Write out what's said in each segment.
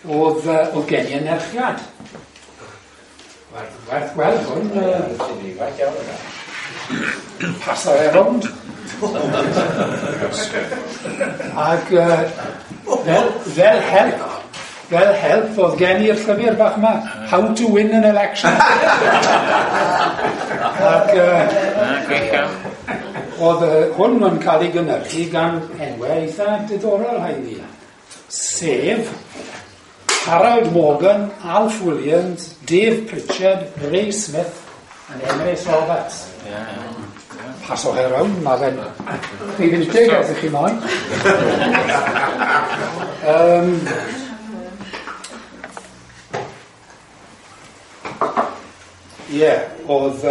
Oedd, oedd gen i anerchiad. Werth gweld hwn. Paso e rownd. Ac fel help oedd gen i'r llyfr bach yma, How to Win an Election. Ac oedd hwn yn cael ei gynhyrchu gan enwau eitha diddorol rhaid fi. Sef Harold Morgan, Alf Williams, Dave Pritchard, Ray Smith and Emrys Roberts. Paswch e rownd, mae fe'n rhif 10 os ych chi moyn. Ie, oedd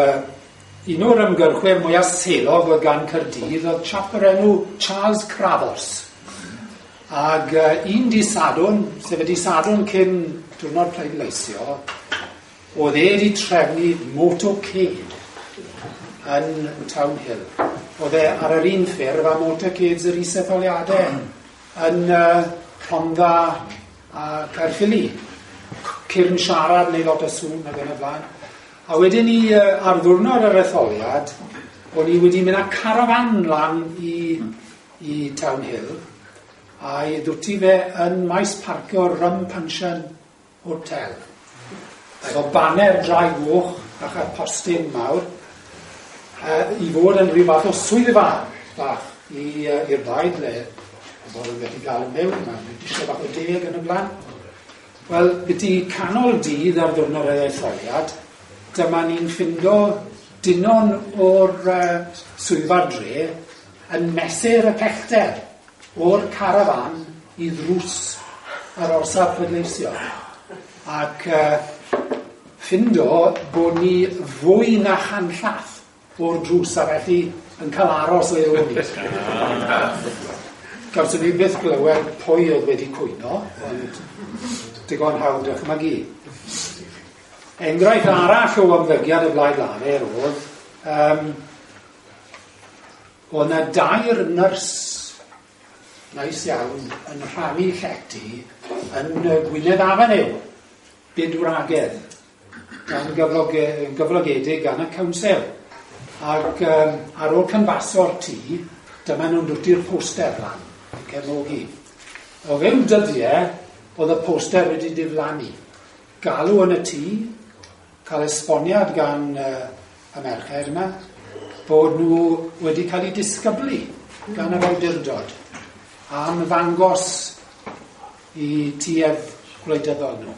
un o'r ymgyrchwyr mwyaf selog oedd gan Caerdydd oedd chap o'r enw Charles Cravos. Ag un dydd Sadwrn, sef y dydd Sadwrn cyn diwrnod pleidleisio, oedd e wedi trefnu motorcade yn Town Hill. Oedd e ar yr un ffurf a motorcades yr isetholiadau yn Rhondda a Caerffili. Cyrn siarad neu lot o sŵn ac yn y blaen. A wedyn ni, ar ddiwrnod yr etholiad, o'n i wedi mynd â carafan lan i Town Hill, a i ddwti fe yn maes parcio Rum Puncheon Hotel. Efo baner drai goch ac ar postyn mawr, i fod yn rhyw fath o swyddfa bach i'r blaid le pobl yn gallu gael mewn, mae'n disio bach o deg yn y blaen. Wel, byti canol dydd ar ddiwrnod yr etholiad, dyma ni'n ffindo dynon o'r swyddfa dre yn mesur y pellter o'r carafan i ddrws yr orsaf pleidleisio. Ac ffindo bod ni fwy na chanllath o'r drws, a felly yn cael aros le o'n ni. Gawson ni byth glywed pwy oedd wedi cwyno, ond digon hawdd dychmygu. Enghraifft arall o ymddygiad y Blaid Lafur oedd, oedd yna dair nyrs neis iawn yn rhannu llety yn Gwynedd Avenue, bydwragedd, gan gyflogedig gan y council. Ac ar ôl cynfaso'r tŷ, dyma nhw'n dwti'r poster lan, yn cefnogi. O fewn dyddiau, oedd y poster wedi diflannu. Galw yn y tŷ, cael esboniad gan y merched yma, bod nhw wedi cael eu disgyblu gan yr awdurdod am ddangos i tuedd gwleidyddol nhw.